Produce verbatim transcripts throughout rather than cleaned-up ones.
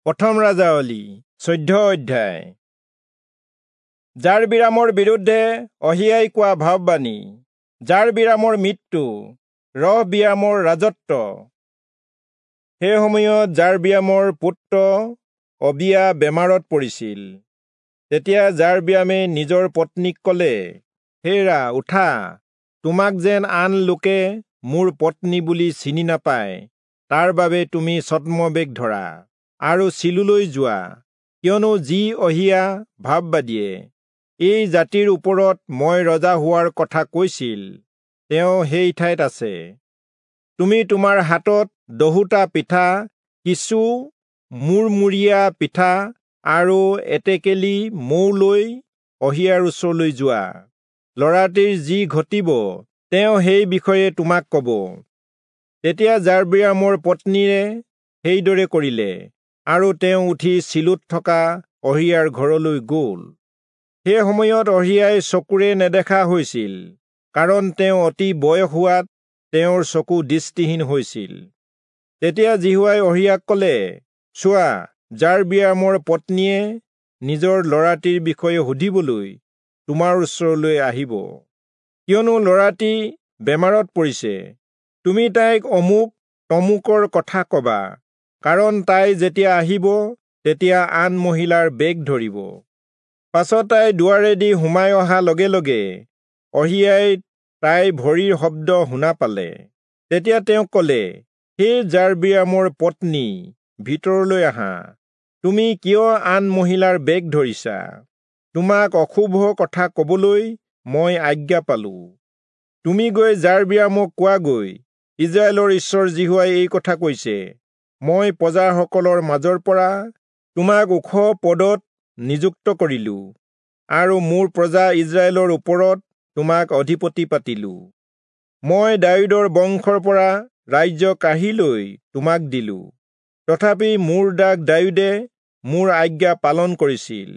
প্ৰথম ৰাজাৱলী চৈধ্য অধ্যায়। যাৰবিৰামৰ বিৰুদ্ধে অহিয়াই কোৱা ভাৱবাণী। যাৰবিৰামৰ মৃত্যু, ৰহবিয়ামৰ ৰাজত্ব। সেই সময়ত যাৰবিয়ামৰ পুত্ৰ অবিয়া বেমাৰত পৰিছিল। তেতিয়া যাৰবিয়ামে নিজৰ পত্নীক কলে, হেৰা উঠা, তোমাক যেন আন লোকে মোৰ পত্নী বুলি চিনি নাপায়, তাৰ বাবে তুমি ছদ্মবেশ ধৰা আৰু চিলোলৈ যোৱা, কিয়নো যি অহিয়া ভাৱবাদীয়ে এই জাতিৰ ওপৰত মই ৰজা হোৱাৰ কথা কৈছিল, তেওঁ সেই ঠাইত আছে। তুমি তোমাৰ হাতত দহোটা পিঠা, কিছু মূৰমূৰীয়া পিঠা আৰু এটেকেলি মৌ লৈ অহিয়াৰ ওচৰলৈ যোৱা। ল'ৰাটিৰ যি ঘটিব, তেওঁ সেই বিষয়ে তোমাক ক'ব। তেতিয়া যাৰবিয়ামৰ পত্নীয়ে সেইদৰে কৰিলে, আৰু তেওঁ উঠি চিলোত থকা অহিয়াৰ ঘৰলৈ গ'ল। সেই সময়ত অহিয়াই চকুৰে নেদেখা হৈছিল, কাৰণ তেওঁ অতি বয়স হোৱাত তেওঁৰ চকু দৃষ্টিহীন হৈছিল। তেতিয়া যিহোৱাই অহিয়াক ক'লে, চোৱা, যাৰবিয়ামৰ পত্নীয়ে নিজৰ ল'ৰাটিৰ বিষয়ে সুধিবলৈ তোমাৰ ওচৰলৈ আহিব, কিয়নো ল'ৰাটি বেমাৰত পৰিছে। তুমি তাইক অমুক তমুকৰ কথা ক'বা, কাৰণ তাই যেতিয়া আহিব, তেতিয়া আন মহিলাৰ বেগ ধৰিব। পাছত তাই দুৱাৰেদি সোমাই অহা লগে লগে অহিয়াই তাইৰ ভৰিৰ শব্দ শুনা পালে। তেতিয়া তেওঁ ক'লে, হে যাৰবিয়ামৰ পত্নী, ভিতৰলৈ আহা। তুমি কিয় আন মহিলাৰ বেগ ধৰিছা? তোমাক অশুভ কথা ক'বলৈ মই আজ্ঞা পালো। তুমি গৈ যাৰবিয়ামক কোৱাগৈ, ইস্ৰায়েলৰ ঈশ্বৰ যিহোৱাই এই কথা কৈছে, মই প্ৰজাসকলৰ মাজৰ পৰা তোমাক ওখ পদত নিযুক্ত কৰিলো, আৰু মোৰ প্ৰজা ইস্ৰায়েলৰ ওপৰত তোমাক অধিপতি পাতিলো। মই দায়ূদৰ বংশৰ পৰা ৰাজ্য কাঢ়ি লৈ তোমাক দিলো। তথাপি মোৰ দাস দায়ূদে মোৰ আজ্ঞা পালন কৰিছিল,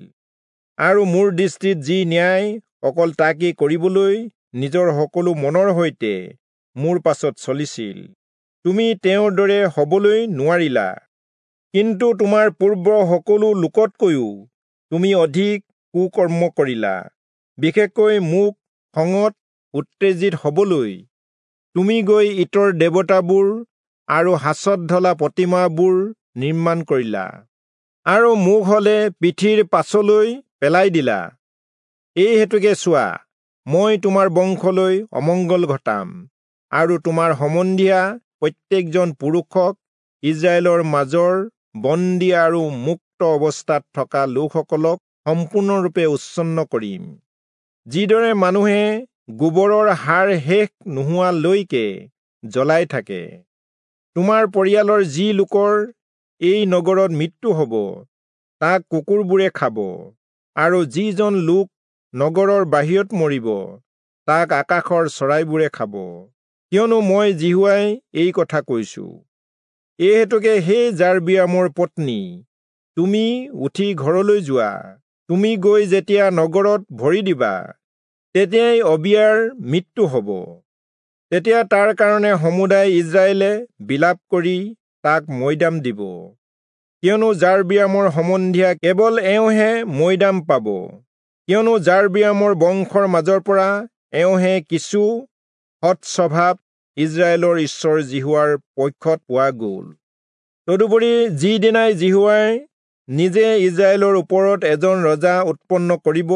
আৰু মোৰ দৃষ্টিত যি ন্যায়, অকল তাকেই কৰিবলৈ নিজৰ সকলো মনৰ সৈতে মোৰ পাছত চলিছিল। তুমি তেওঁৰ দৰে হবলৈ নোৱাৰিলা, কিন্তু তোমাৰ পূৰ্ব সকলো লোকতকৈও তুমি অধিক কুকৰ্ম কৰিলা। বিশেষকৈ মোক খঙত উত্তেজিত হবলৈ তুমি গৈ ইতৰ দেৱতাবোৰ আৰু সাঁচত ঢলা প্ৰতিমাবোৰ নিৰ্মাণ কৰিলা, আৰু মোক হলে পিঠিৰ পাছলৈ পেলাই দিলা। এই হেতুকে চোৱা, মই তোমাৰ বংশলৈ অমংগল ঘটাম, আৰু তোমাৰ সম্বন্ধীয়া প্ৰত্যেকজন পুৰুষক ইস্ৰায়েলৰ মাজৰ বন্দী আৰু মুক্ত অৱস্থাত থকা লোকসকলক সম্পূৰ্ণৰূপে উচ্ছন্ন কৰিম। যিদৰে মানুহে গোবৰৰ সাৰ শেষ নোহোৱালৈকে জ্বলাই থাকে, তোমাৰ পৰিয়ালৰ যি লোকৰ এই নগৰত মৃত্যু হ'ব, তাক কুকুৰবোৰে খাব, আৰু যিজন লোক নগৰৰ বাহিৰত মৰিব, তাক আকাশৰ চৰাইবোৰে খাব, কিয়নো মই যিহোৱাই এই কথা কৈছো। এই হেতুকে হে যাৰবিয়ামৰ পত্নী, তুমি উঠি ঘৰলৈ যোৱা। তুমি গৈ যেতিয়া নগৰত ভৰি দিবা, তেতিয়াই অবিয়াৰ মৃত্যু হ'ব। তেতিয়া তাৰ কাৰণে সমুদায় ইস্ৰায়েলে বিলাপ কৰি তাক মৈদাম দিব, কিয়নো যাৰবিয়ামৰ সম্বন্ধীয়া কেৱল এওঁহে মৈদাম পাব, কিয়নো যাৰবিয়ামৰ বংশৰ মাজৰ পৰা এওঁহে কিছু সৎ স্বভাৱ ইস্ৰায়েলৰ ঈশ্বৰ যিহোৱাৰ পক্ষত পোৱা গ'ল। তদুপৰি যিদিনাই যিহোৱাই নিজে ইস্ৰায়েলৰ ওপৰত এজন ৰজা উৎপন্ন কৰিব,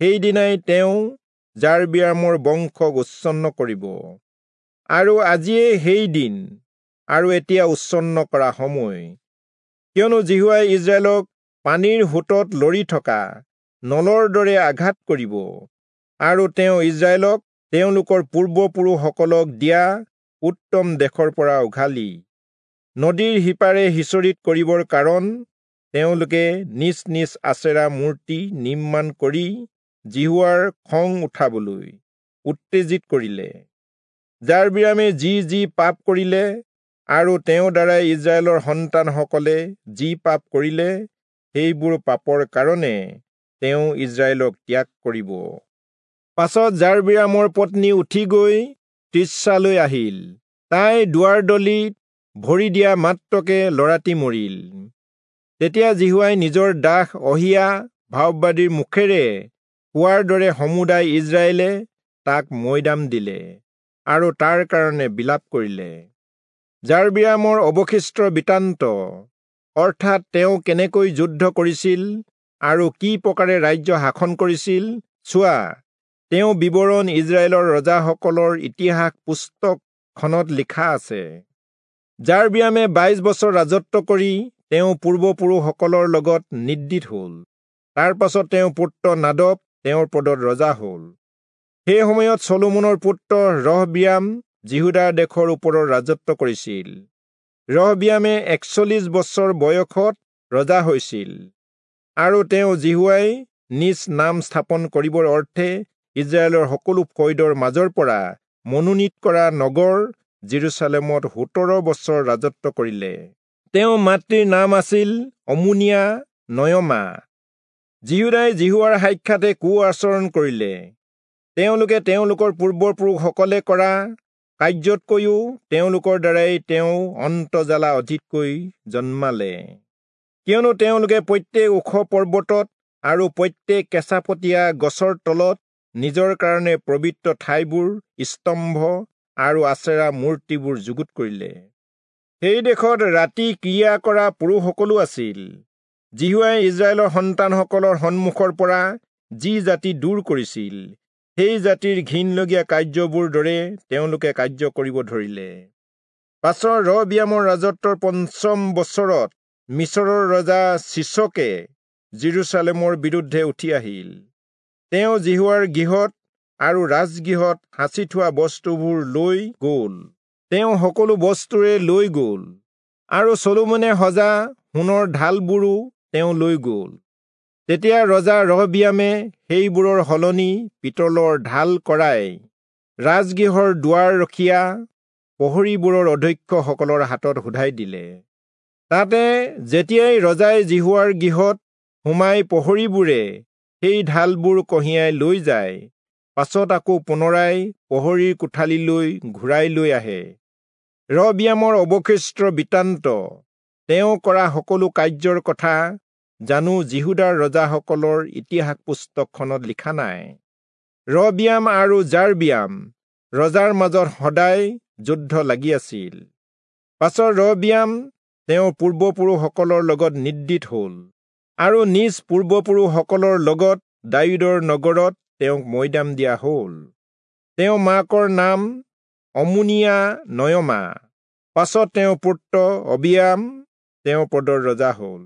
সেইদিনাই তেওঁ যাৰবিয়ামৰ বংশক উচ্ছন্ন কৰিব। আৰু আজিয়েই সেই দিন, আৰু এতিয়া উচ্ছন্ন কৰা সময়, কিয়নো যিহোৱাই ইস্ৰায়েলক পানীৰ সোঁতত লৰি থকা নলৰ দৰে আঘাত কৰিব, আৰু তেওঁ ইস্ৰায়েলক তেওঁলোকৰ পূৰ্বপুৰুষসকলক দিয়া উত্তম দেশৰ পৰা উঘালি নদীৰ সিপাৰে সিঁচৰিত কৰিবৰ কাৰণ তেওঁলোকে নিজ নিজ আচেৰা মূৰ্তি নিৰ্মাণ কৰি যিহোৱাৰ খং উঠাবলৈ উত্তেজিত কৰিলে। যাৰবিয়ামে যি যি পাপ কৰিলে, আৰু তেওঁৰ দ্বাৰাই ইস্ৰায়েলৰ সন্তানসকলে যি পাপ কৰিলে, সেইবোৰ পাপৰ কাৰণে তেওঁ ইস্ৰায়েলক ত্যাগ কৰিব। পাছত যাৰবিয়ামৰ পত্নী উঠি গৈ তিৰ্চালৈ আহিল। তাই দুৱাৰদলিত ভৰি দিয়া মাত্ৰকে ল'ৰাটি মৰিল। তেতিয়া যিহোৱাই নিজৰ দাস অহিয়া ভাববাদীৰ মুখেৰে কোৱাৰ দৰে সমুদায় ইস্ৰায়েলে তাক মৈদাম দিলে আৰু তাৰ কাৰণে বিলাপ কৰিলে। যাৰবিয়ামৰ অৱশিষ্ট বৃত্তান্ত, অৰ্থাৎ তেওঁ কেনেকৈ যুদ্ধ কৰিছিল আৰু কি প্ৰকাৰে ৰাজ্য শাসন কৰিছিল, চোৱা, তেওঁ বিৱৰণ ইস্ৰায়েলৰ ৰজাসকলৰ ইতিহাস পুস্তকখনত লিখা আছে। যাৰবিয়ামে বাইশ বছৰ ৰাজত্ব কৰি তেওঁ পূৰ্বপুৰুষসকলৰ লগত নিদ্ৰিত হল। তাৰ পাছত তেওঁ পুত্ৰ নাদব তেওঁৰ পদত ৰজা হল। সেই সময়ত চলোমনৰ পুত্ৰ ৰহবিয়াম যিহূদা দেশৰ ওপৰত ৰাজত্ব কৰিছিল। ৰহবিয়ামে একচল্লিশ বছৰ বয়সত ৰজা হৈছিল, আৰু তেওঁ যিহোৱাই নিজ নাম স্থাপন কৰিবৰ অৰ্থে ইস্ৰায়েলৰ সকলো ফৈদৰ মাজৰ পৰা মনোনীত কৰা নগৰ যিৰূচালেমত সোতৰ বছৰ ৰাজত্ব কৰিলে। তেওঁ মাতৃৰ নাম আছিল অমুনিয়া নয়মা। যিহূদাই যিহোৱাৰ সাক্ষাতে কু আচৰণ কৰিলে। তেওঁলোকে তেওঁলোকৰ পূৰ্বপুৰুষসকলে কৰা কাৰ্যতকৈও তেওঁলোকৰ দ্বাৰাই তেওঁ অন্তৰ্জ্বালা অধিককৈ জন্মালে, কিয়নো তেওঁলোকে প্ৰত্যেক ওখ পৰ্বতত আৰু প্ৰত্যেক কেঁচাপতীয়া গছৰ তলত নিজৰ কাৰণে পবিত্ৰ ঠাইবোৰ স্তম্ভ আৰু আচেৰা মূৰ্তিবোৰ যুগুত কৰিলে। সেই দেশত ৰাতি ক্ৰিয়া কৰা পুৰুষসকলো আছিল। যিহোৱাই ইস্ৰায়েলৰ সন্তানসকলৰ সন্মুখৰ পৰা যি জাতি দূৰ কৰিছিল, সেই জাতিৰ ঘিণলগীয়া কাৰ্যবোৰ দৰে তেওঁলোকে কাৰ্য কৰিব ধৰিলে। পাছৰ ৰহবিয়ামৰ ৰাজত্বৰ পঞ্চম বছৰত মিচৰৰ ৰজা চিচকে যিৰূচালেমৰ বিৰুদ্ধে উঠি আহিল। তেওঁ যিহোৱাৰ গৃহত আৰু ৰাজগৃহত সাঁচি থোৱা বস্তুবোৰ লৈ গ'ল। তেওঁ সকলো বস্তুৰে লৈ গ'ল, আৰু চলোমনে সজা সোণৰ ঢালবোৰো তেওঁ লৈ গ'ল। তেতিয়া ৰজা ৰহবিয়ামে সেইবোৰৰ সলনি পিতলৰ ঢাল কৰাই ৰাজগৃহৰ দুৱাৰ ৰখীয়া প্ৰহৰীবোৰৰ অধ্যক্ষসকলৰ হাতত শোধাই দিলে। তাতে যেতিয়াই ৰজাই যিহোৱাৰ গৃহত সোমাই প্ৰহৰীবোৰে সেই ঢালবোৰ কঢ়িয়াই লৈ যায়, পাছত আকৌ পুনৰাই প্ৰহৰীৰ কোঠালিলৈ ঘূৰাই লৈ আহে। ৰহবিয়ামৰ অৱশিষ্ট বৃত্তান্ত, তেওঁ কৰা সকলো কাৰ্যৰ কথা জানো যিহূদাৰ ৰজাসকলৰ ইতিহাস পুস্তকখনত লিখা নাই? ৰহবিয়াম আৰু যাৰবিয়াম ৰজাৰ মাজত সদায় যুদ্ধ লাগি আছিল। পাছত ৰহবিয়াম তেওঁৰ পূৰ্বপুৰুষসকলৰ লগত নিদ্ৰিত হল, আৰু নিজ পূৰ্বপুৰুষসকলৰ লগত দায়ূদৰ নগৰত তেওঁক মৈদাম দিয়া হল। তেওঁ মাকৰ নাম অমুনিয়া নয়মা। পাছত তেওঁৰ পুত্ৰ অবিয়াম তেওঁৰ পদৰ ৰজা হল।